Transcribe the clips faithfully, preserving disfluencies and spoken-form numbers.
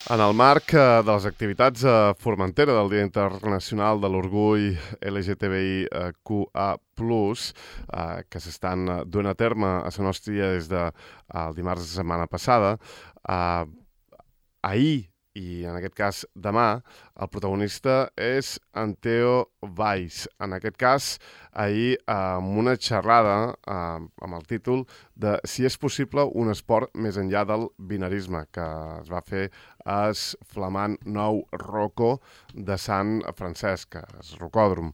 En el marc eh, de les activitats a Formentera del Dia Internacional de l'Orgull L G T B I Q A plus, eh, que s'estan eh, duent a terme a la nostra des de eh, el dimarts de la setmana passada, eh, ahir i en aquest cas demà, el protagonista és en Theo Valls. En aquest cas, ahir eh, amb una xerrada eh, amb el títol de Si és possible un esport més enllà del binarisme, que es va fer al flamant nou Roco de Sant Francesc, el Rocòdrom.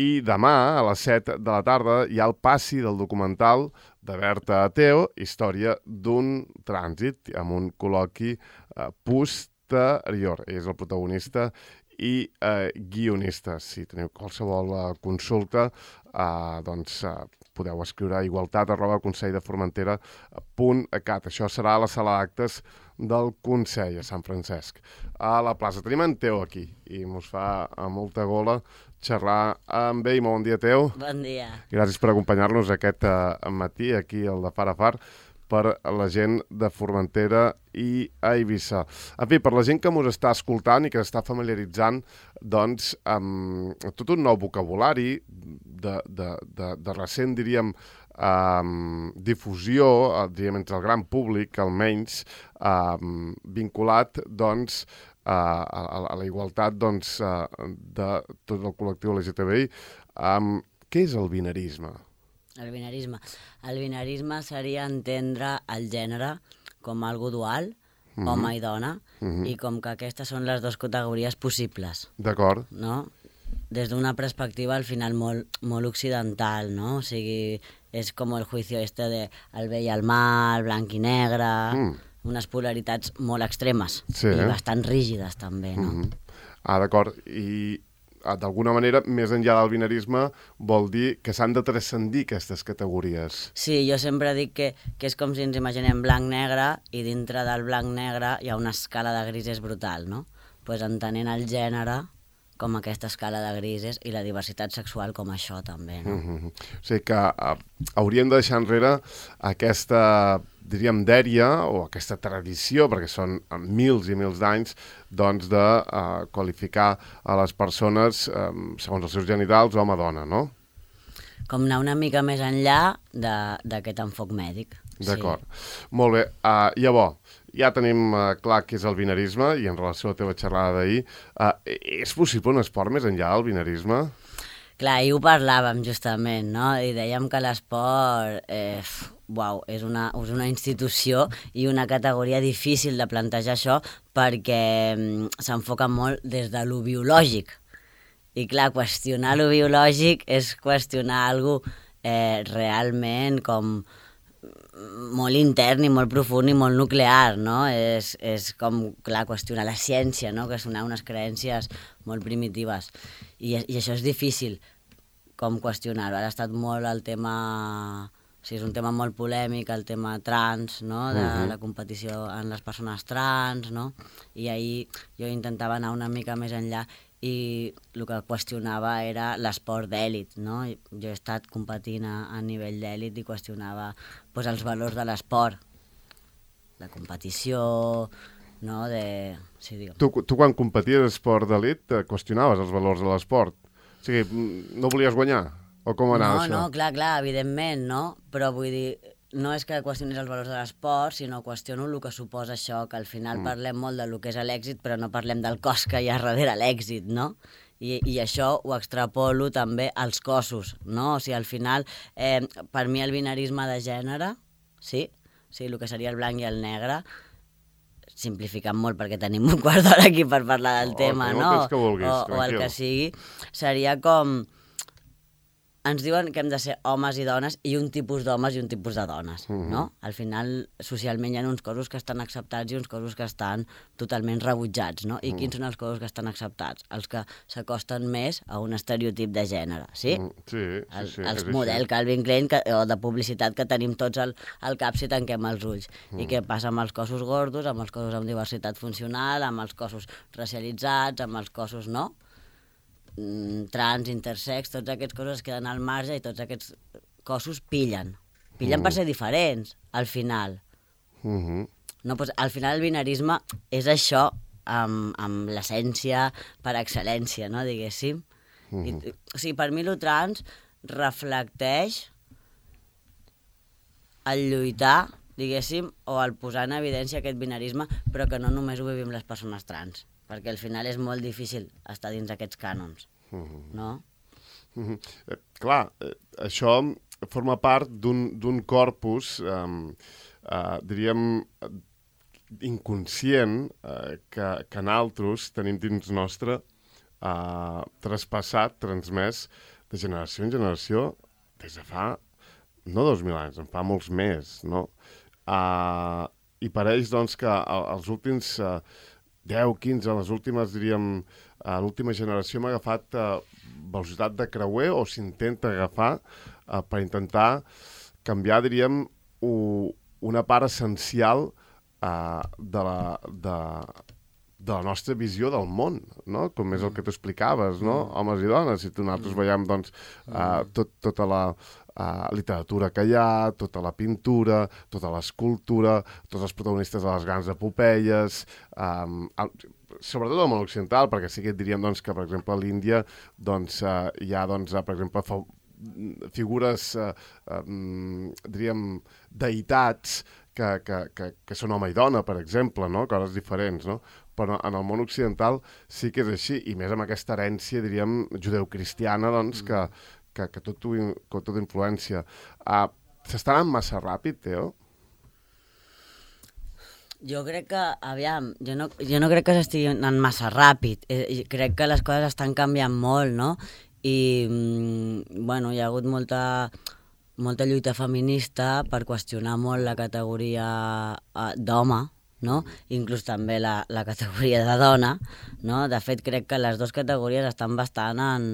I demà, a les set de la tarda, hi ha el passi del documental de Berta Theo, Història d'un trànsit, amb un col·loqui eh, posterior. Ell és el protagonista i eh, guionista. Si teniu qualsevol eh, consulta, eh, doncs eh, podeu escriure a igualtat arroba conselldeformentera punt cat. Això serà a la sala d'actes del Consell a Sant Francesc. A la plaça tenim en Teo aquí i mos fa a molta gola xerrar amb ell. Bon dia, Teo. Bon dia. Gràcies per acompanyar-nos aquest eh, matí aquí al de Far a Far per la gent de Formentera i a Eivissa. En fi, per la gent que ens està escoltant i que està familiaritzant doncs, amb tot un nou vocabulari de, de, de, de recent, diríem, um, difusió, diríem, entre el gran públic, almenys, um, vinculat, doncs, a, a, a la igualtat doncs, de tot el col·lectiu L G T B I. Um, què és el binarisme? El binarisme. El binarisme seria entendre el gènere com algo dual, mm-hmm. home i dona, mm-hmm. i com que aquestes són les dues categories possibles. D'acord. No? Des d'una perspectiva, al final, molt, molt occidental, no? O sigui, és com el juicio este de el bé i el mal, blanc i negre, mm. unes polaritats molt extremes, sí, i eh? bastant rígides, també, no? Mm-hmm. Ah, d'acord. I d'alguna manera, més enllà del binarisme, vol dir que s'han de transcendir aquestes categories. Sí, jo sempre dic que, que és com si ens imaginem blanc-negre i dintre del blanc-negre hi ha una escala de grises brutal, no? Doncs pues entenent el gènere com aquesta escala de grises i la diversitat sexual com això també, no? Mm-hmm. O sigui que uh, hauríem de deixar enrere aquesta, diríem, dèria o aquesta tradició, perquè són mils i mils d'anys, doncs de uh, qualificar a les persones um, segons els seus genitals home-dona, no? Com anar una mica més enllà d'aquest enfoc mèdic. D'acord. Sí. Molt bé. Uh, llavors, ja tenim uh, clar què és el binarisme i en relació a la teva xerrada d'ahir, uh, és possible un esport més enllà del binarisme? Clar, ahir ho parlàvem justament, no? I dèiem que l'esport eh, uau, és, una, és una institució i una categoria difícil de plantejar això perquè mm, s'enfoca molt des de lo biològic. I clar, qüestionar lo biològic és qüestionar alguna cosa eh, realment com molt intern i molt profund i molt nuclear, no? És, és com, clar, qüestionar la ciència, no? Qüestionar unes creences molt primitives. I, i això és difícil, com qüestionar-ho. Ara ha estat molt el tema... O sigui, és un tema molt polèmic, el tema trans, no? De uh-huh. la competició en les persones trans, no? I ahir jo intentava anar una mica més enllà i el que qüestionava era l'esport d'èlit, no? Jo he estat competint a, a nivell d'èlit i qüestionava pues, els valors de l'esport, de competició, no? De... Sí, tu, tu quan competies a esport d'èlit qüestionaves els valors de l'esport? O sigui, no volies guanyar? O com anava no, això? No, clar, clar, evidentment, no? Però vull dir, no és que qüestionis els valors de l'esport, sinó qüestiono el que suposa això, que al final mm. parlem molt del que és l'èxit, però no parlem del cos que hi ha darrere l'èxit, no? I, i això ho extrapolo també als cossos, no? O sigui, al final, eh, per mi el binarisme de gènere, sí? O sigui, el que seria el blanc i el negre, simplificant molt perquè tenim un quart d'hora aquí per parlar del oh, tema, no? Que vulguis, o, o el que sigui, seria com... Ens diuen que hem de ser homes i dones i un tipus d'homes i un tipus de dones, uh-huh. no? Al final, socialment hi ha uns cossos que estan acceptats i uns cossos que estan totalment rebutjats, no? I uh-huh. quins són els cossos que estan acceptats? Els que s'acosten més a un estereotip de gènere, sí? Uh-huh. Sí, sí, sí. El, els model Calvin Klein que, o de publicitat que tenim tots al, al cap si tanquem els ulls. Uh-huh. I què passa amb els cossos gordos, amb els cossos amb diversitat funcional, amb els cossos racialitzats, amb els cossos, no? Trans, intersex, tots aquests cossos es queden al marge i tots aquests cossos pillen. Pillen mm. per ser diferents, al final. Mm-hmm. No? Pues, al final el binarisme és això, amb, amb l'essència per excel·lència, no? Diguéssim. Mm. I, o sigui, per mi el trans reflecteix el lluitar, diguéssim, o el posar en evidència aquest binarisme, però que no només ho vivim les persones trans, perquè al final és molt difícil estar dins aquests cànons, no? Mm-hmm. Eh, clar, eh, això forma part d'un corpus, eh, eh, diríem, inconscient, eh, que, que nosaltres tenim dins nostre, eh, traspassat, transmès de generació en generació des de fa, no dos mil anys, en fa molts més, no? Uh, I pareix, doncs, que els últims uh, deu, quinze, les últimes, diríem, uh, l'última generació m'ha agafat uh, velocitat de creuer o s'intenta agafar uh, per intentar canviar, diríem, u, una part essencial uh, de la... De, de la nostra visió del món, no? Com és el que tu explicaves, no? Mm. Homes i dones, si tu nosaltres veiem, doncs, uh, tot, tota la uh, literatura que hi ha, tota la pintura, tota l'escultura, tots els protagonistes de les grans epopeies, um, el, sobretot el món occidental, perquè sí que et diríem, doncs, que, per exemple, a l'Índia, doncs, uh, hi ha, doncs, uh, per exemple, fa, figures, uh, um, diríem, deïtats que, que, que, que són home i dona, per exemple, no? Coses diferents, no? Però en el món occidental sí que és així, i més amb aquesta herència, diríem, judeocristiana, doncs, que, que, que tot ho, que tot influència. Uh, S'està anant massa ràpid, Teo? Jo crec que, aviam, jo no, jo no crec que s'estigui anant massa ràpid. Eh, crec que les coses estan canviant molt, no? I, mm, bueno, hi ha hagut molta, molta lluita feminista per qüestionar molt la categoria uh, d'home, no? Inclús també la, la categoria de dona, no? De fet, crec que les dues categories estan bastant en,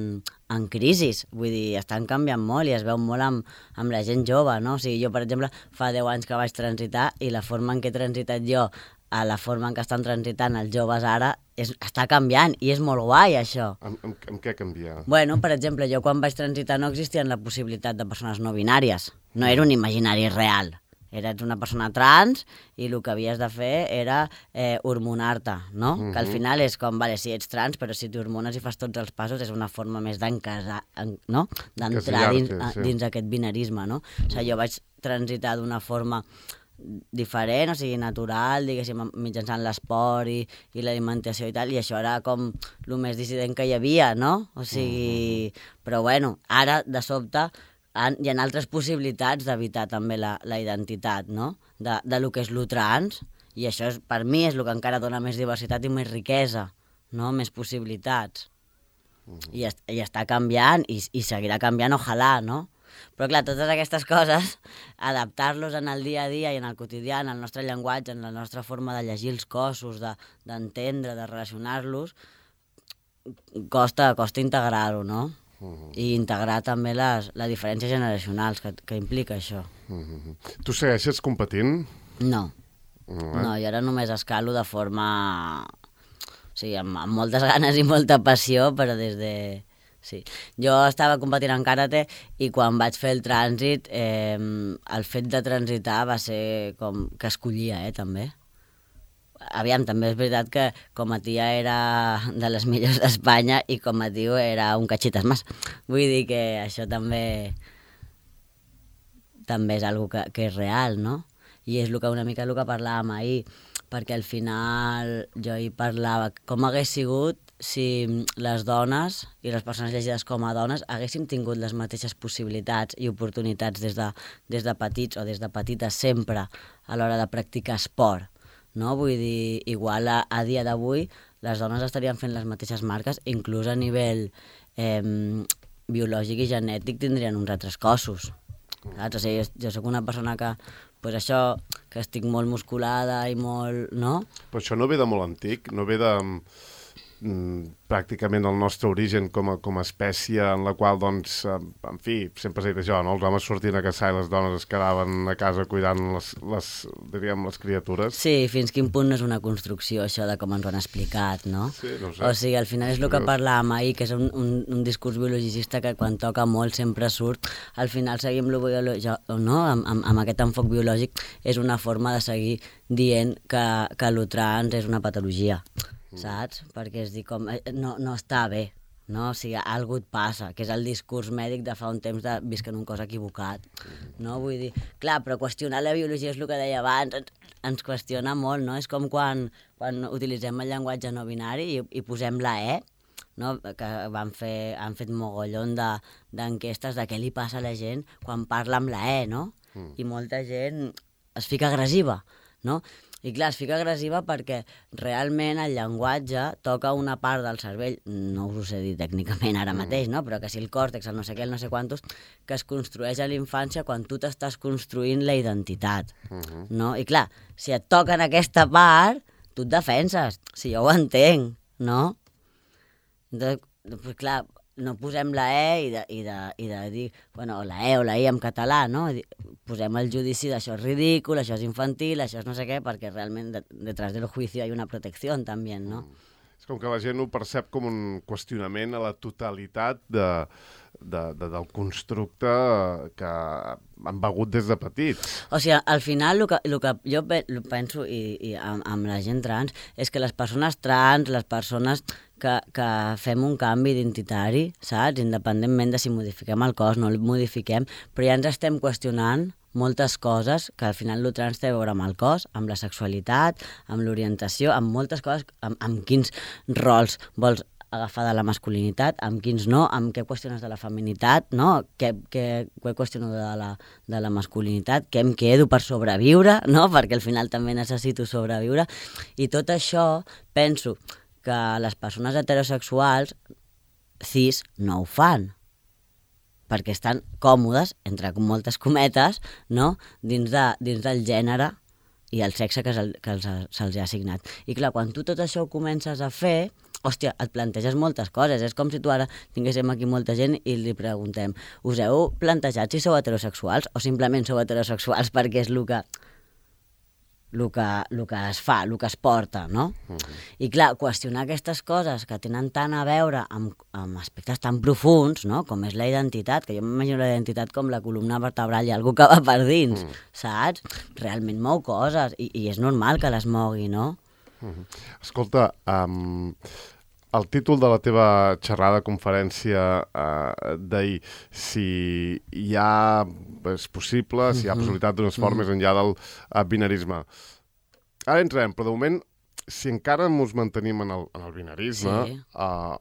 en crisi, vull dir, estan canviant molt i es veu molt amb, amb la gent jove, no? O sigui, jo, per exemple, fa deu anys que vaig transitar i la forma en què he transitat jo a la forma en què estan transitant els joves ara és, està canviant i és molt guai, això. Amb, amb, amb què canvia? Bueno, per exemple, jo quan vaig transitar no existia la possibilitat de persones no binàries, no era un imaginari real. Eres una persona trans i el que havies de fer era eh, hormonar-te, no? Uh-huh. Que al final és com, vale, si ets trans, però si t'hormones i fas tots els passos és una forma més d'encasar, en, no? D'entrar dins, sí. dins aquest binarisme, no? O sigui, jo vaig transitar d'una forma diferent, o sigui, natural, diguéssim, mitjançant l'esport i, i l'alimentació i tal, i això era com el més dissident que hi havia, no? O sigui, uh-huh. Però bueno, ara, de sobte, hi ha altres possibilitats d'evitar també la, la identitat, no? De, de lo que és lo trans, i això és, per mi és el que encara dona més diversitat i més riquesa, no? Més possibilitats. Uh-huh. I, est, I està canviant i, i seguirà canviant, ojalà, no? Però clar, totes aquestes coses, adaptar-los en el dia a dia i en el quotidià, en el nostre llenguatge, en la nostra forma de llegir els cossos, d'entendre, de, de relacionar-los, costa, costa integrar-ho, no? Uh-huh. I integrar també les, les diferències generacionals que, que implica això. Uh-huh. Tu segueixes competint? No. Uh-huh. No, jo ara només escalo de forma... O sigui, amb, amb moltes ganes i molta passió, però des de... Sí. Jo estava competint en karate i quan vaig fer el trànsit, eh, el fet de transitar va ser com que escollia, eh, també. Aviam, també és veritat que com a tia era de les millors d'Espanya i com a tio era un cachitas más. Vull dir que això també també és algo que, que és real, no? I és el que, una mica el que parlàvem ahir, perquè al final jo hi parlava com hagués sigut si les dones i les persones llegides com a dones haguéssim tingut les mateixes possibilitats i oportunitats des de, des de petits o des de petites sempre a l'hora de practicar esport. No? Vull dir, igual a, a dia d'avui les dones estarien fent les mateixes marques, inclús a nivell eh, biològic i genètic tindrien uns altres cossos. Saps? O sigui, jo, jo soc una persona que, pues això, que estic molt musculada i molt... no? Però això no ve de molt antic, no ve de... pràcticament el nostre origen com a, com a espècie en la qual, doncs, en fi, sempre s'ha dit això, no? Els homes sortien a caçar i les dones es quedaven a casa cuidant les, les, diríem, les criatures. Sí, fins quin punt no és una construcció, això de com ens ho han explicat, no? Sí, no sé. O sigui, al final és el que parlàvem ahir, que és un, un, un discurs biologicista que quan toca molt sempre surt. Al final seguim lo biològic, no? Amb, amb, amb aquest enfoc biològic és una forma de seguir dient que, que lo trans és una patologia. Saps? Perquè és dir, com, no, no està bé, no? O sigui, algú et passa, que és el discurs mèdic de fa un temps de visc en un cos equivocat, no? Vull dir, clar, però qüestionar la biologia és el que deia abans, ens, ens qüestiona molt, no? És com quan, quan utilitzem el llenguatge no binari i, i posem la E, no? Que van fer, han fet mogollon de, d'enquestes de què li passa a la gent quan parla amb la E, no? Mm. I molta gent es fica agressiva, no? I clar, es fica agressiva perquè realment el llenguatge toca una part del cervell, no us ho sé dir tècnicament ara mateix, no? Però que si el còrtex, el no sé què, el no sé quantos, que es construeix a l'infància quan tu t'estàs construint la identitat, uh-huh. no? I clar, si et toquen aquesta part, tu et defenses, si jo ho entenc, no? Doncs, doncs clar, no posem la E i de, i de, i de dir, bueno, la E o la I en català, no? Posem el judici d'això és ridícul, això és infantil, això és no sé què, perquè realment de, detrás del juicio hi ha una protecció també, no? Mm. És com que la gent ho percep com un qüestionament a la totalitat de, de, de, del constructe que han begut des de petits. O sigui, al final el que, el que jo penso i, i amb, amb la gent trans és que les persones trans, les persones que, que fem un canvi identitari, saps? Independentment de si modifiquem el cos, no el modifiquem, però ja ens estem qüestionant moltes coses que al final el trans té a veure amb el cos, amb la sexualitat, amb l'orientació, amb moltes coses, amb, amb quins rols vols agafar de la masculinitat, amb quins no, amb què qüestiones de la feminitat, no? Què, què, què qüestiono de la, de la masculinitat, què em quedo per sobreviure, no? Perquè al final també necessito sobreviure. I tot això penso que les persones heterosexuals cis no ho fan, perquè estan còmodes, entre moltes cometes, no? dins, de, dins del gènere i el sexe que, se, que se'ls ha assignat. I clar, quan tu tot això ho comences a fer, hòstia, et planteges moltes coses. És com si tu ara tinguéssim aquí molta gent i li preguntem, us heu plantejat si sou heterosexuals o simplement sou heterosexuals perquè és el que, el que, el que es fa, el que es porta, no? Uh-huh. I clar, qüestionar aquestes coses que tenen tant a veure amb, amb aspectes tan profuns, no? Com és la identitat, que jo m'imagino la identitat com la columna vertebral i algú que va per dins, uh-huh. saps? Realment mou coses i, i és normal que les mogui, no? Uh-huh. Escolta, um, el títol de la teva xerrada, conferència uh, d'ahir, si hi ha, és possible, si hi ha possibilitat d'unes formes uh-huh. enllà del uh, binarisme. Ara entrem, però de moment, si encara ens mantenim en el, en el binarisme, sí. uh,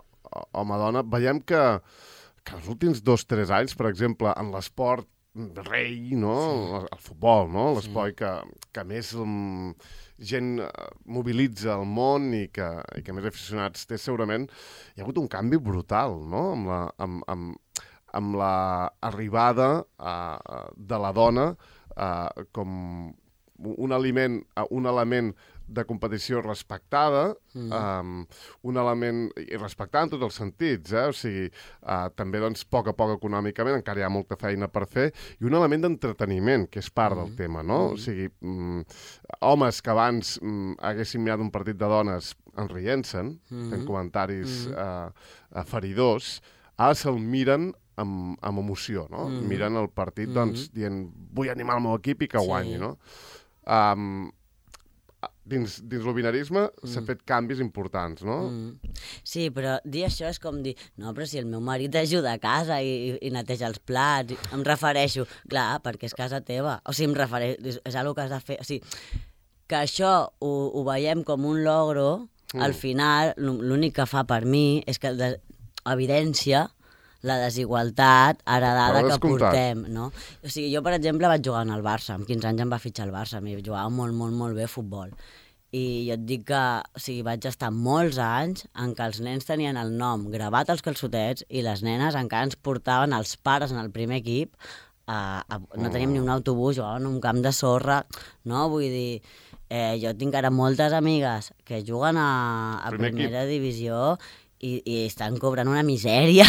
home-dona, veiem que, que els últims dos o tres anys, per exemple, en l'esport rei, no? Sí. El futbol, no? L'esport sí. que, que més um, gent mobilitza el món i que, i que més aficionats té segurament, hi ha hagut un canvi brutal, no? Amb la, amb, amb, amb la arribada uh, de la dona uh, com un aliment, uh, un element de competició respectada, mm. um, un element respectat en tots els sentits, eh? O sigui, uh, també doncs, a poc a poc econòmicament, encara hi ha molta feina per fer, i un element d'entreteniment, que és part mm. del tema, no? Mm. O sigui, um, homes que abans um, haguessin mirat un partit de dones enrient-se'n, mm. fent comentaris mm. uh, feridors, ara se'l miren amb, amb emoció, no? Mm. Miren el partit, mm. doncs, dient, vull animar el meu equip i que guanyi, sí. no? Um, dins, dins el binarisme mm. s'ha fet canvis importants, no? Mm. Sí, però dir això és com dir, no, però si el meu marit ajuda a casa i, i neteja els plats, em refereixo, clar, perquè és casa teva, o sigui, em refereixo, és, és una cosa que has de fer, o sigui, que això ho, ho veiem com un logro, mm. al final, l'únic que fa per mi és que de, evidència la desigualtat heredada que portem, no? O sigui, jo, per exemple, vaig jugar en el Barça, amb quinze anys em va fitxar el Barça, mi jugava molt, molt, molt bé a futbol. I jo et dic que, o sigui, vaig estar molts anys en què els nens tenien el nom gravat als calçotets i les nenes encara ens portaven els pares en el primer equip, a, a, no teníem ni un autobús, jugàvem en un camp de sorra, no? Vull dir, eh, jo tinc ara moltes amigues que juguen a, a Primer primera equip. divisió i, i estan cobrant una misèria.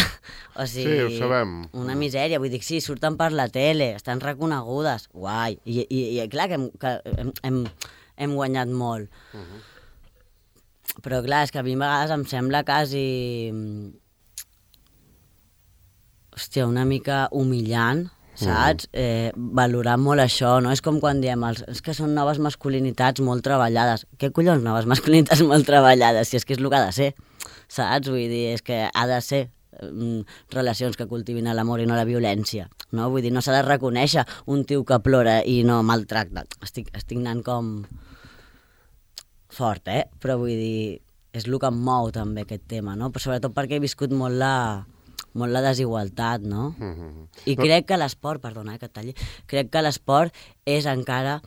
O sigui, Sí, ho sabem. Una misèria, vull dir, sí, surten per la tele, estan reconegudes, guai. I, i, i clar que hem, que hem, hem, hem guanyat molt. Uh -huh. Però clar, és que a mi a vegades em sembla quasi... Hòstia, una mica humillant, saps? Mm. Eh, valorar molt això, no? És com quan diem, els, és que són noves masculinitats molt treballades. Què collons noves masculinitats molt treballades? Si és que és el que ha de ser, saps? Vull dir, és que ha de ser mm, relacions que cultivin l'amor i no la violència, no? Vull dir, no s'ha de reconèixer un tio que plora i no maltracta. Estic, estic anant com... fort, eh? Però vull dir, és el que em mou també aquest tema, no? Però sobretot perquè he viscut molt la, molt la desigualtat, no? Mm-hmm. I crec que l'esport, perdona eh, que et talli, crec que l'esport és encara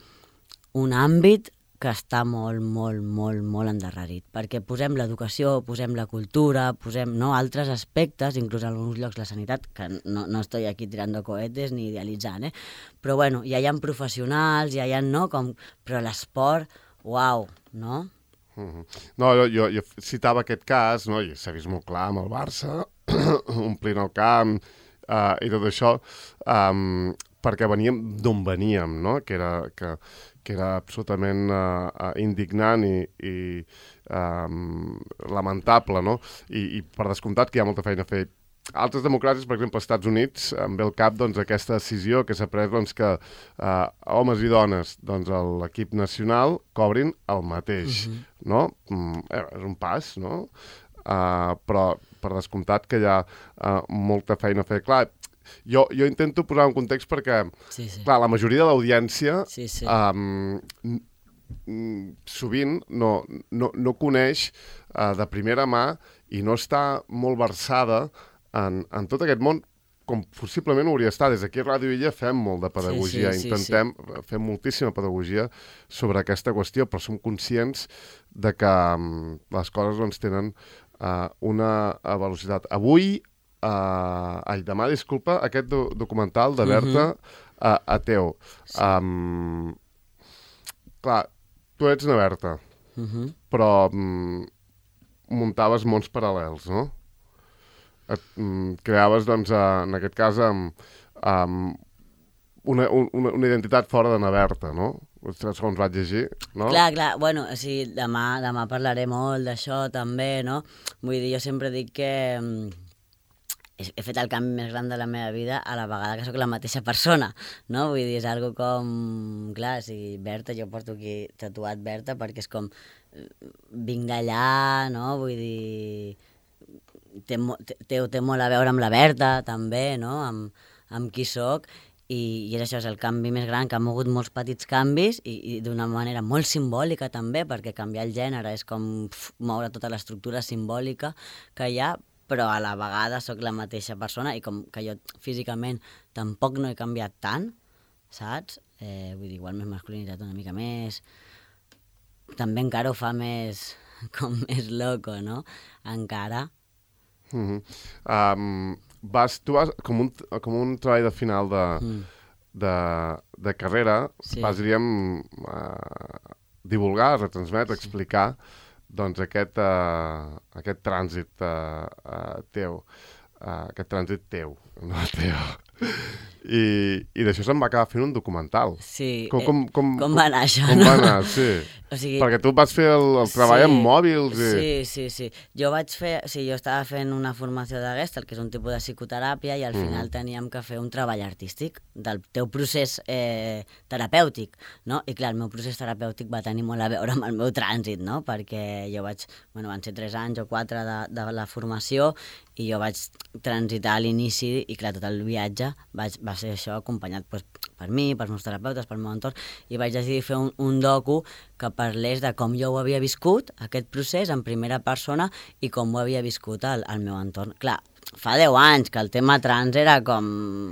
un àmbit que està molt, molt, molt, molt endarrerit, perquè posem l'educació, posem la cultura, posem no, altres aspectes, inclús en alguns llocs la sanitat, que no, no estoy aquí tirando cohetes ni idealitzant, eh? Però bueno, ja hi ha professionals, ja hi ha, no, com... però l'esport, uau, no? Mm-hmm. No, jo, jo, jo citava aquest cas, no? I s'ha vist molt clar amb el Barça, omplint el camp uh, i tot això, um, perquè veníem d'on veníem, no? Que era, que, que era absolutament uh, uh, indignant i, i um, lamentable, no? I, I per descomptat que hi ha molta feina a fer. Altres democràcies, per exemple, als Estats Units, em ve al cap doncs, aquesta decisió que s'ha pres doncs, que uh, homes i dones doncs, a l'equip nacional cobrin el mateix, uh-huh. no? Mm, eh, és un pas, no? Uh, però per descomptat que hi ha uh, molta feina a fer. Clar, jo, jo intento posar un context perquè, sí, sí. clar, la majoria de l'audiència sí, sí. um, sovint no, no, no coneix uh, de primera mà i no està molt versada en, en tot aquest món com possiblement hauria estat. Des d'aquí a Ràdio Illa fem molt de pedagogia, sí, sí, intentem sí, sí. fer moltíssima pedagogia sobre aquesta qüestió, però som conscients de que um, les coses doncs, tenen uh, una uh, velocitat. Avui, uh, ai, demà, disculpa, aquest do documental de Berta uh -huh. uh, Ateu. Sí. Um, clar, tu ets una Berta, uh -huh. però um, muntaves mons paral·lels, no? Et, um, creaves, doncs, uh, en aquest cas, um, um, una, una, una identitat fora de Naberta, no? Segons vaig llegir, no? Clar, clar, bueno, o sigui, demà, demà parlaré molt d'això també, no? Vull dir, jo sempre dic que um, he, he fet el canvi més gran de la meva vida a la vegada que sóc la mateixa persona, no? Vull dir, és algo com... Clar, o sigui, Berta, jo porto aquí tatuat Berta perquè és com... Vinc d'allà, no? Vull dir... Té, té, té molt a veure amb la Berta, també, no? Amb, amb qui sóc. I, i és això, és el canvi més gran, que ha mogut molts petits canvis i, i d'una manera molt simbòlica també, perquè canviar el gènere és com pf, moure tota l'estructura simbòlica que hi ha, però a la vegada sóc la mateixa persona i com que jo físicament tampoc no he canviat tant, saps? Eh, vull dir, igual més masculinitat una mica més, també encara ho fa més, com més loco, no? Encara. Mm-hmm. um, vas, tu vas, com un, com un treball de final de, mm. de, de carrera, sí. vas, diríem, uh, divulgar, retransmetre, sí. explicar doncs aquest, uh, aquest trànsit uh, uh, teu, uh, aquest trànsit teu, no teu. I, i d'això se'n va acabar fent un documental. Sí. Com, com, com, com va anar això, com no? va anar, sí. O sigui, perquè tu vas fer el, el treball sí, amb mòbils. I... Sí, sí, sí. Jo vaig fer... O sigui, jo estava fent una formació de Gestalt, que és un tipus de psicoteràpia, i al mm. final teníem que fer un treball artístic del teu procés eh, terapèutic, no? I clar, el meu procés terapèutic va tenir molt a veure amb el meu trànsit, no? Perquè jo vaig... Bueno, van ser tres anys o quatre de, de la formació i jo vaig transitar a l'inici i clar, tot el viatge vaig, va ser això acompanyat pues, per mi, pels meus terapeutes, pel meu entorn, i vaig decidir fer un, un docu que parlés de com jo ho havia viscut, aquest procés, en primera persona, i com ho havia viscut al, al meu entorn. Clar, fa deu anys que el tema trans era com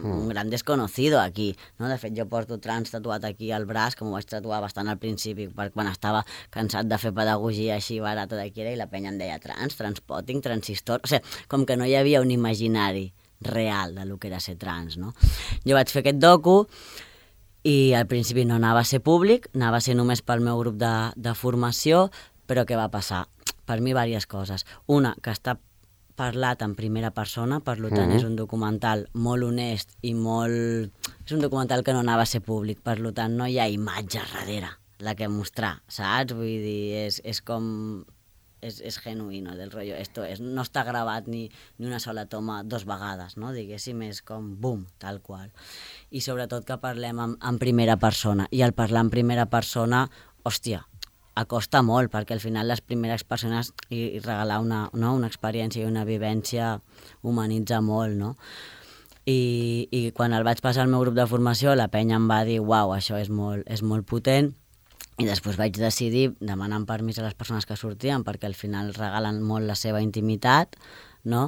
un gran desconocido aquí, no? De fet, jo porto trans tatuat aquí al braç, que m'ho vaig tatuar bastant al principi, perquè quan estava cansat de fer pedagogia així barata d'aquí era, i la penya em deia trans, transpotting, transistor... O sigui, com que no hi havia un imaginari real de lo que era ser trans, no? Jo vaig fer aquest docu I al principi no anava a ser públic, anava a ser només pel meu grup de, de formació, però què va passar? Per mi, diverses coses. Una, que està parlat en primera persona, per tant uh-huh. és un documental molt honest i molt... És un documental que no anava a ser públic, per tant no hi ha imatge darrere la que mostrar, saps? Vull dir, és, és com... És, és genuïno del rotllo. Esto és, no està gravat ni, ni una sola toma dos vegades, no? Diguéssim, és com bum, tal qual. I sobretot que parlem en, en primera persona. I al parlar en primera persona, hòstia, acosta molt, perquè al final les primeres persones i, i regalar una, no? una experiència i una vivència humanitza molt, no? I, i quan el vaig passar al meu grup de formació, la penya em va dir, uau, això és molt, és molt potent, i després vaig decidir, demanant permís a les persones que sortien, perquè al final regalen molt la seva intimitat, no?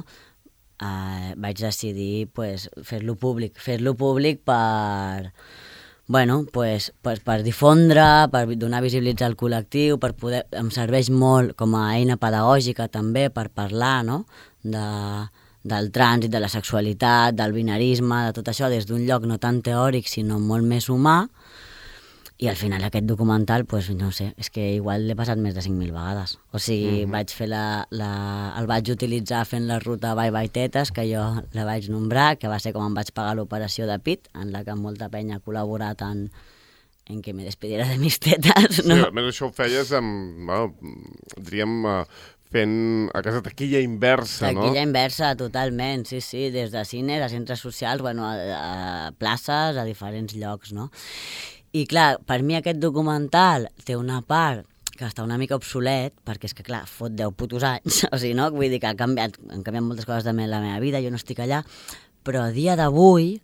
Eh, vaig decidir pues, fer-lo públic, fer-lo públic per... Bueno, pues, pues per difondre, per donar visibilitat al col·lectiu, per poder, em serveix molt com a eina pedagògica també per parlar, no? de, del trànsit, de la sexualitat, del binarisme, de tot això des d'un lloc no tan teòric sinó molt més humà. I al final aquest documental, pues, no sé, és que igual l'he passat més de cinc mil vegades. O sigui, mm-hmm. vaig fer la, la, el vaig utilitzar fent la ruta Bye Bye Tetes, que jo la vaig nombrar, que va ser com em vaig pagar l'operació de pit, en la que molta penya ha col·laborat en, en que me despidiera de mis tetes, no? Sí, a més això ho feies amb, bueno, diríem, fent a casa taquilla inversa, no? Taquilla inversa, totalment, sí, sí, des de cines a centres socials, bueno, a, a places, a diferents llocs, no? I clar, per mi aquest documental té una part que està una mica obsolet, perquè és que clar, fot deu putos anys, o sigui, no? Vull dir que ha canviat, han canviat moltes coses de la meva vida, jo no estic allà, però a dia d'avui,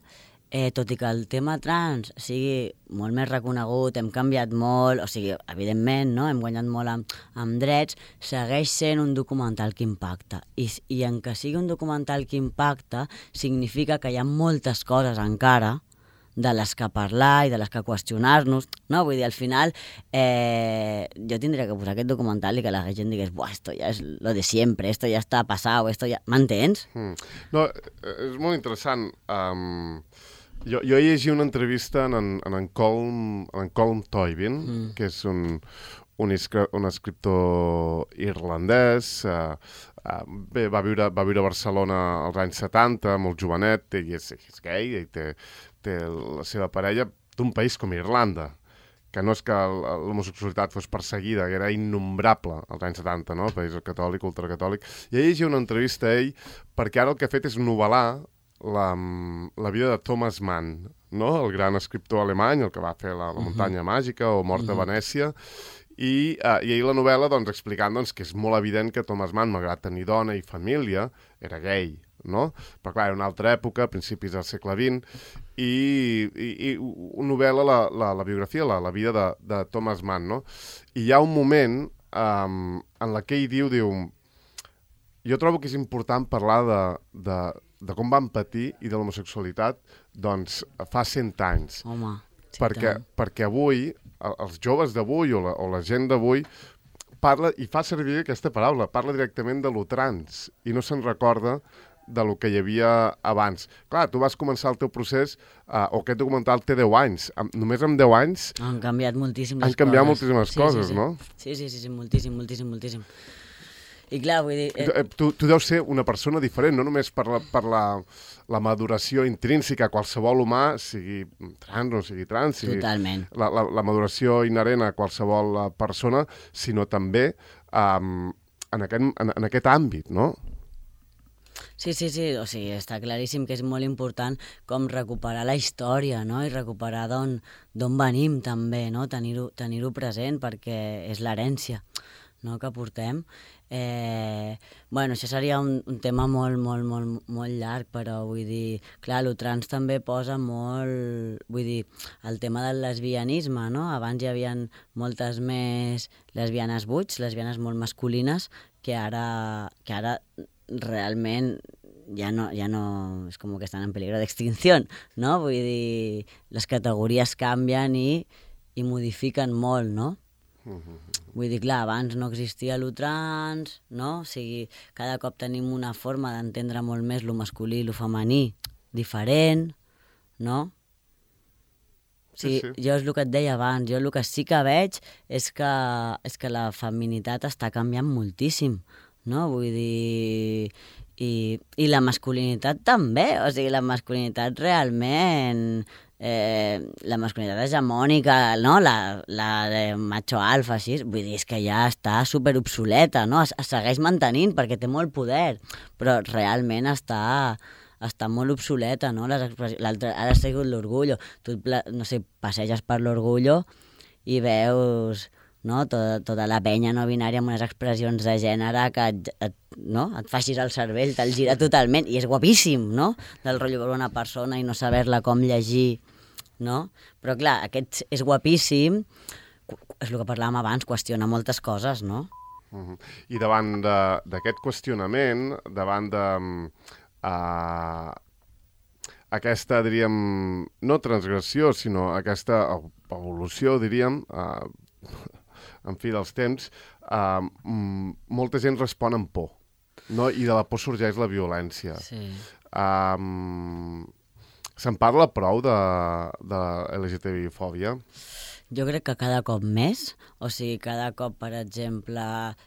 eh, tot i que el tema trans sigui molt més reconegut, hem canviat molt, o sigui, evidentment, no? Hem guanyat molt amb, amb drets, segueix sent un documental que impacta. I, I en que sigui un documental que impacta, significa que hi ha moltes coses encara de les que parlar i de les que qüestionar-nos, no? Vull dir, al final eh, jo tindria que posar aquest documental i que la gent digués, buah, esto ja és lo de siempre, esto ja està passat, esto ja... M'entens? Mm. No, és molt interessant. Um, jo, jo llegi una entrevista en en, en, en Colm, en Colm Toibin, mm. que és un, un, un escriptor irlandès, uh, uh, bé, va viure, va viure a Barcelona als anys setanta, molt jovenet, i és, és gay, i té té la seva parella d'un país com Irlanda, que no és que l'homosexualitat fos perseguida, que era innombrable als anys setanta, no? El país catòlic, ultracatòlic. I ell llegia una entrevista a ell perquè ara el que ha fet és novel·lar la, la vida de Thomas Mann, no? El gran escriptor alemany, el que va fer La, la muntanya uh-huh. màgica o Mort uh-huh. a Venècia, i, uh, i ell la novel·la doncs, explicant doncs, que és molt evident que Thomas Mann, malgrat tenir dona i família, era gay, no? Però clar, era una altra època, a principis del segle vint, i, i, i novel·la la, la, la biografia, la, la vida de, de Thomas Mann, no? I hi ha un moment um, en la que ell diu, diu, jo trobo que és important parlar de, de, de com van patir i de l'homosexualitat, doncs, fa cent anys. Home, sí, perquè, perquè avui, els joves d'avui o, la, o la gent d'avui, parla i fa servir aquesta paraula, parla directament de lo trans i no se'n recorda de lo que hi havia abans. Clar, tu vas començar el teu procés, uh, o aquest documental té deu anys. Am, només amb deu anys... Han canviat moltíssim les han canviat coses. moltíssimes sí, coses, sí, sí. no? Sí, sí, sí, sí, moltíssim, moltíssim, moltíssim. I clar, vull dir... Eh... Tu, tu deus ser una persona diferent, no només per la, per la, la maduració intrínseca a qualsevol humà, sigui trans o sigui trans, sigui Totalment. La, la, la maduració inherent a qualsevol persona, sinó també um, en, aquest, en, en aquest àmbit, no? Sí, sí, sí, o sigui, està claríssim que és molt important com recuperar la història, no? I recuperar d'on d'on venim també, no? Tenir-ho tenir-ho present perquè és l'herència, no?, que portem. Eh, bueno, això seria un, un tema molt, molt, molt, molt llarg, però vull dir, clar, el trans també posa molt, vull dir, el tema del lesbianisme, no? Abans hi havia moltes més lesbianes buits, lesbianes molt masculines, que ara, que ara realment ja no, ja no, és com que estan en peligro d'extinció, no? Vull dir, les categories canvien i, i modifiquen molt, no? Uh-huh. Vull dir, clar, abans no existia lo trans, no? O sigui, cada cop tenim una forma d'entendre molt més lo masculí i lo femení diferent, no? Sí, sí, jo és el que et deia abans, jo el que sí que veig és que, és que la feminitat està canviant moltíssim, no? Vull dir... I, i la masculinitat també, o sigui, la masculinitat realment... Eh, la masculinitat hegemònica, no? La, la de macho alfa, així, vull dir, és que ja està super obsoleta, no? Es, es segueix mantenint perquè té molt poder, però realment està... està molt obsoleta, no? Les expressions... Ara ha sigut l'Orgullo. Tu, no sé, passeges per l'Orgullo i veus, no? Tota, tota la penya no binària amb unes expressions de gènere que et, et, no? et facis el cervell, te'l gira totalment, i és guapíssim, no? Del rotllo veure una persona i no saber-la com llegir, no? Però clar, aquest és guapíssim, és el que parlàvem abans, qüestiona moltes coses, no? Uh-huh. I davant d'aquest qüestionament, davant de... Uh, aquesta, diríem, no transgressió, sinó aquesta evolució, diríem, uh, en fi dels temps, uh, molta gent respon amb por, no? I de la por sorgeix la violència. Sí. Um, se'n parla prou de, de L G T B I-fòbia? Jo crec que cada cop més, o sigui, cada cop, per exemple,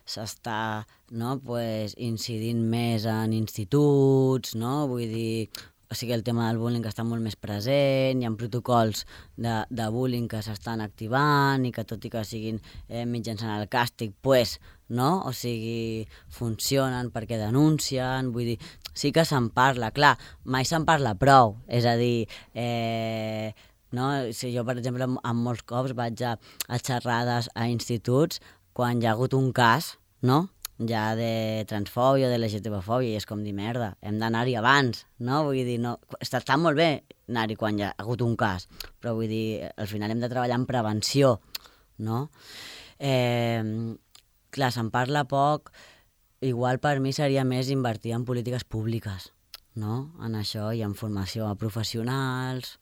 s'està, no, pues, incidint més en instituts, no? Vull dir, o sigui, el tema del bullying està molt més present, hi ha protocols de, de bullying que s'estan activant i que tot i que siguin eh, mitjançant el càstig, pues, no? O sigui, funcionen perquè denuncien, vull dir, sí que se'n parla, clar, mai se'n parla prou, és a dir, eh, no? Si jo, per exemple, en molts cops vaig a, a xerrades a instituts quan hi ha hagut un cas, no? Ja de transfòbia o de L G T B fòbia, i és com dir, merda, hem d'anar-hi abans, no? Vull dir, no, està, està molt bé anar-hi quan hi ha hagut un cas, però vull dir, al final hem de treballar en prevenció, no? Eh, clar, se'n parla poc, igual per mi seria més invertir en polítiques públiques, no? En això i en formació a professionals...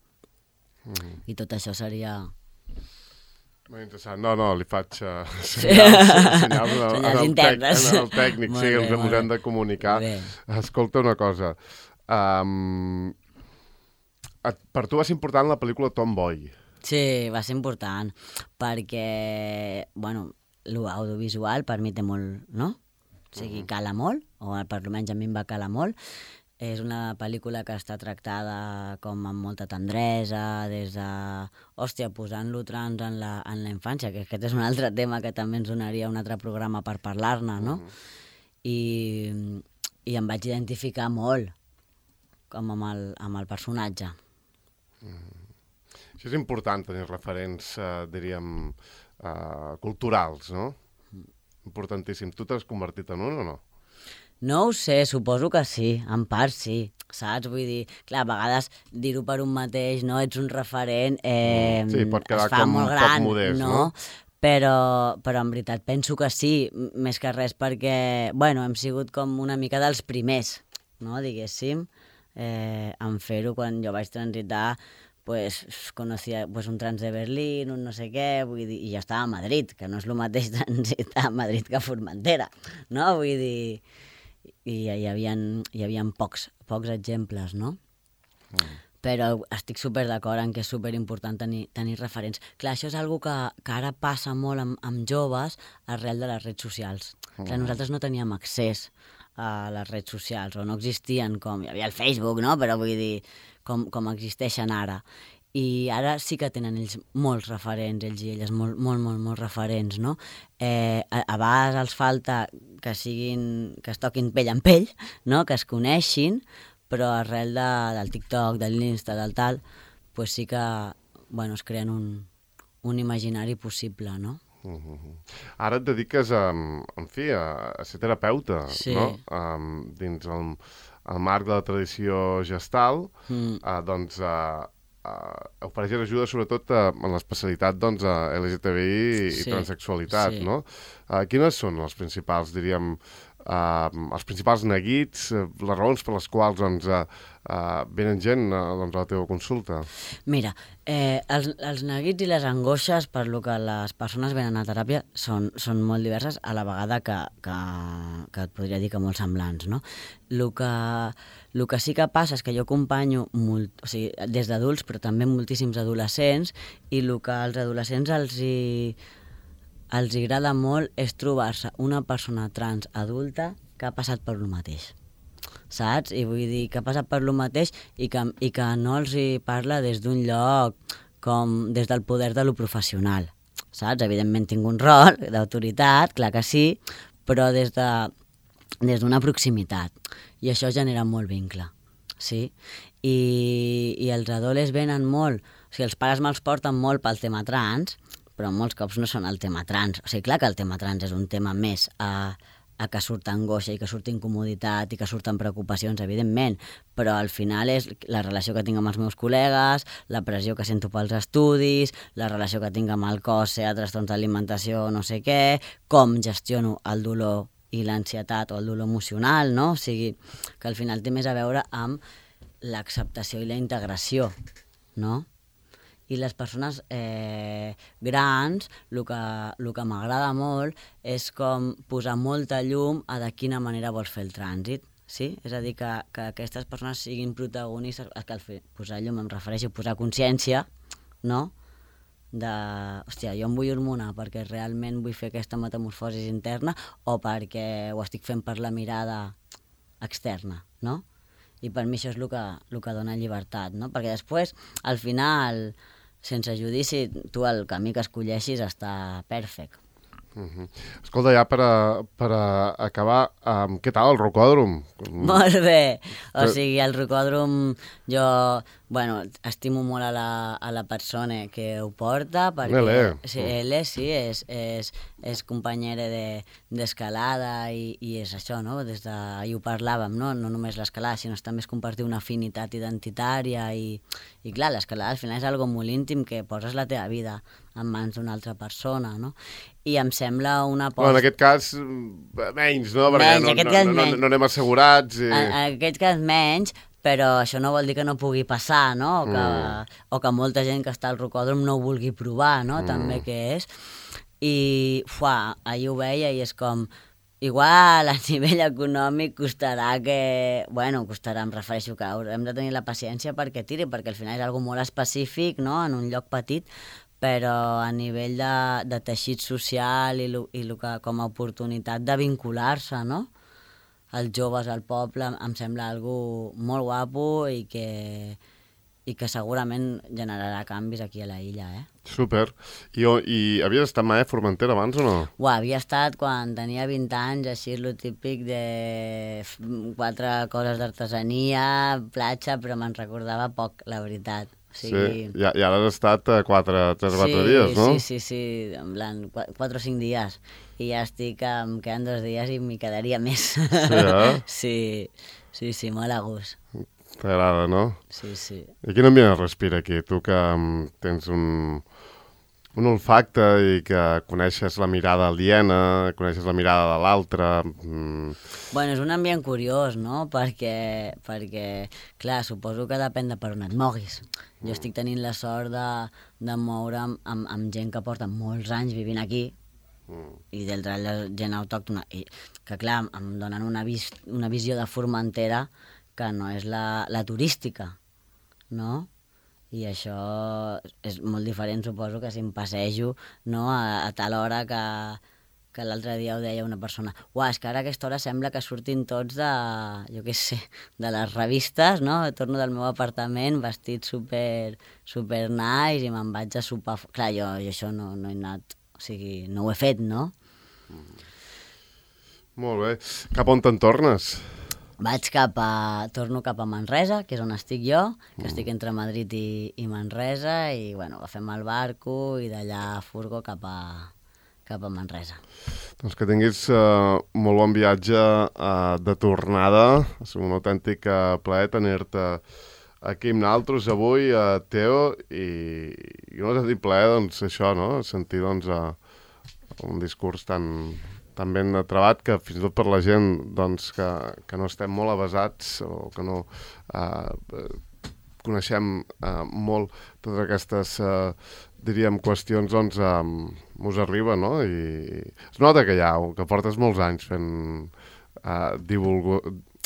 Mm. I tot això seria... Molt interessant. No, no, li faig uh, senyals, senyals, en, senyals en, internes. En el tècnic, molt sí, bé, ens hem de comunicar. Escolta una cosa. Um, et, per tu va ser important la pel·lícula Tomboy? Sí, va ser important, perquè, bueno, l'audiovisual per mi té molt, no? O sigui, cala molt, o per almenys a mi em va calar molt. És una pel·lícula que està tractada com amb molta tendresa, des de, hòstia, posant-lo trans en la, en la infància, que aquest és un altre tema que també ens donaria un altre programa per parlar-ne, no? Uh-huh. I, I em vaig identificar molt com amb el, amb el personatge. Uh-huh. Això és important, tenir referents, uh, diríem, uh, culturals, no? Uh-huh. Importantíssim. Tu t'has convertit en un o no? No ho sé, suposo que sí, en part sí, saps? Vull dir, clar, a vegades dir-ho per un mateix, no? Ets un referent, eh, sí, pot quedar es fa com molt gran, poc modest, no? no? Però, però en veritat penso que sí, més que res perquè, bueno, hem sigut com una mica dels primers, no? Diguéssim, eh, en fer-ho quan jo vaig transitar, pues conocía pues, un trans de Berlín, un no sé què, vull dir, i jo estava a Madrid, que no és el mateix transitar a Madrid que a Formentera, no? Vull dir... i hi havia, hi havia pocs, pocs exemples, no? Mm. Però estic super d'acord en que és superimportant tenir, tenir referents. Clar, això és una que, que ara passa molt amb, amb joves arrel de les redes socials. Mm. Clar, nosaltres no teníem accés a les redes socials, o no existien com... Hi havia el Facebook, no? Però vull dir, com, com existeixen ara. I ara sí que tenen ells molts referents, ells i elles, molt, molt, molt, molts referents, no? Eh, a, a vegades els falta que siguin, que es toquin pell en pell, no? Que es coneixin, però arrel de, del TikTok, de l'Insta, del tal, pues sí que, bueno, es creen un, un imaginari possible, no? Uh-huh. Ara et dediques a, en fi, a, a ser terapeuta, sí. No? Um, dins el, el marc de la tradició gestal, mm. uh, doncs... Uh, Uh, ofereixen ajuda sobretot uh, en l'especialitat doncs, uh, L G T B I i, sí, i transsexualitat, sí. No? Uh, quines són les principals, diríem, uh, els principals neguits, uh, les raons per les quals doncs, uh, uh, venen gent uh, doncs, a la teva consulta? Mira, eh, els, els neguits i les angoixes per lo que les persones venen a teràpia són, són molt diverses, a la vegada que, que, que et podria dir que molt semblants, no? El que, el que sí que passa és que jo acompanyo molt, o sigui, des d'adults, però també moltíssims adolescents, i el que als adolescents els hi, els hi agrada molt és trobar-se una persona trans adulta que ha passat per lo mateix, saps? I vull dir que ha passat per lo mateix i que, i que no els hi parla des d'un lloc com des del poder de lo professional, saps? Evidentment tinc un rol d'autoritat, clar que sí, però des de des d'una proximitat, i això genera molt vincle, sí? I, i els adoles venen molt, o sigui, els pares me'ls porten molt pel tema trans, però molts cops no són el tema trans, o sigui, clar que el tema trans és un tema més a, a que surt angoixa i que surt incomoditat i que surten preocupacions, evidentment, però al final és la relació que tinc amb els meus col·legues, la pressió que sento pels estudis, la relació que tinc amb el cos, sea trastorns d'alimentació, no sé què, com gestiono el dolor i l'ansietat o el dolor emocional, no? O sigui, que al final té més a veure amb l'acceptació i la integració, no? I les persones eh, grans, el que, el que m'agrada molt és com posar molta llum a de quina manera vols fer el trànsit, sí? És a dir, que, que aquestes persones siguin protagonistes, que al fer, posar llum em refereixo a posar consciència, no? De, hòstia, jo em vull hormonar perquè realment vull fer aquesta metamorfosi interna o perquè ho estic fent per la mirada externa, no? I per mi això és el que, el que dona llibertat, no? Perquè després, al final, sense judici, tu el camí que escolleixis està perfect. Uh-huh. Escolta, ja per, a, per a acabar, um, què tal el rocòdrom? Molt bé, o sigui, el rocòdrom jo, bueno, estimo molt a la, a la persona que ho porta, perquè sí, ell sí, és, és, és companyera d'escalada de, i, i és això, no? Des de, i ho parlàvem, no? No només l'escalada, sinó també és compartir una afinitat identitària i, i clar, l'escalada al final és algo molt íntim que poses la teva vida en mans d'una altra persona, no? I em sembla una aposta... Bueno, en aquest cas, menys, no? Perquè menys, no, no, no, no, no anem assegurats. I... En, en aquest cas menys, però això no vol dir que no pugui passar, no? O que, mm. o que molta gent que està al rocòdrom no ho vulgui provar, no? Mm. També que és. I, fuà, ahir ho veia i és com... Igual a nivell econòmic costarà que... Bueno, costarà, em refereixo que hem de tenir la paciència perquè tiri, perquè al final és algo molt específic, no? En un lloc petit, però a nivell de, de teixit social i, lo, i lo que, com a oportunitat de vincular-se, no? Els joves al poble em sembla algo molt guapo i que, i que segurament generarà canvis aquí a la illa, eh? Super. I, i havies estat mai a Formentera abans o no? Uau, havia estat quan tenia vint anys, així lo típic de quatre coses d'artesania, platja, però me'n recordava poc, la veritat. O sigui... Sí, i, i ara has estat quatre, tres o quatre sí, dies, no? Sí, sí, sí, en plan, quatre o cinc dies. I ja estic, em queden dos dies i m'hi quedaria més. Sí, eh? Sí, sí, sí, molt a gust. T'agrada, no? Sí, sí. I quin ambient es respira aquí? Tu que um, tens un, un olfacte i que coneixes la mirada aliena, coneixes la mirada de l'altre... Mm. Bueno, és un ambient curiós, no? Perquè, perquè, clar, suposo que depèn de per on et moguis. Jo estic tenint la sort de, de moure'm amb, amb gent que porta molts anys vivint aquí, mm. i d'altra gent autòctona, i que clar, em donen una, vis, una visió de Formentera que no és la, la turística, no? I això és molt diferent, suposo, que si em passejo, no? a, a tal hora que, que l'altre dia ho deia una persona, uah, és que ara a aquesta hora sembla que surtin tots de, jo què sé, de les revistes, no? Torno del meu apartament vestit super, super nice i me'n vaig a sopar... Clar, jo, jo això no, no he anat, o sigui, no ho he fet, no? Mm. Molt bé. Cap on te'n tornes? Vaig cap a... Torno cap a Manresa, que és on estic jo, que mm. estic entre Madrid i, i Manresa, i, bueno, agafem el barco i d'allà furgo cap a, cap a Manresa. Doncs que tinguis uh, molt bon viatge uh, de tornada. Ha sigut un autèntic uh, plaer tenir-te aquí amb nosaltres avui, uh, Teo, i, i no t'ha dit plaer, doncs, això, no? Sentir, doncs, uh, un discurs tan... tan ben trebat que fins i tot per la gent doncs, que, que no estem molt avasats o que no eh, coneixem eh, molt totes aquestes, eh, diríem, qüestions, doncs eh, mos arriba, no? I es nota que ja, que portes molts anys fent uh, divulgo,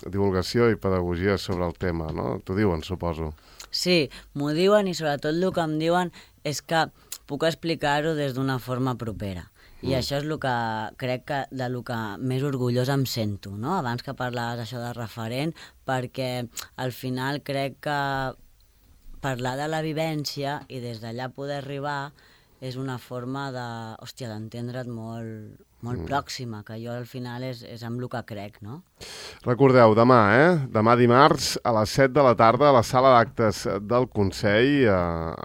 divulgació i pedagogia sobre el tema, no? T'ho diuen, suposo. Sí, m'ho diuen i sobretot el que em diuen és que puc explicar-ho des d'una forma propera. I mm. això és el que crec que de lo que més orgullós em sento, no? Abans que parlaves això de referent, perquè al final crec que parlar de la vivència i des d'allà poder arribar és una forma de, hòstia, d'entendre't molt, molt mm. pròxima, que jo al final és, és amb el que crec, no? Recordeu, demà, eh? Demà dimarts a les set de la tarda a la sala d'actes del Consell a,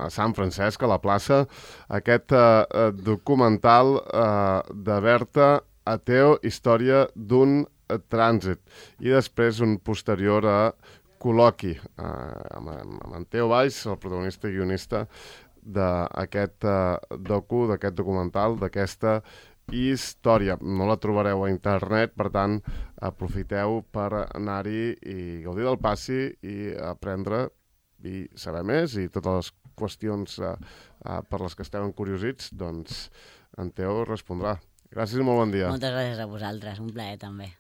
a Sant Francesc, a la plaça, aquest eh, documental eh, de Berta Ateo, història d'un trànsit, i després un posterior a col·loqui eh, amb, amb en Teo Valls, el protagonista i guionista d'aquest uh, docu, d'aquest documental, d'aquesta història. No la trobareu a internet, per tant, aprofiteu per anar-hi i gaudir del passi i aprendre i saber més, i totes les qüestions uh, uh, per les que esteu encuriosits, doncs en Teo respondrà. Gràcies i molt bon dia. Moltes gràcies a vosaltres, un plaer també.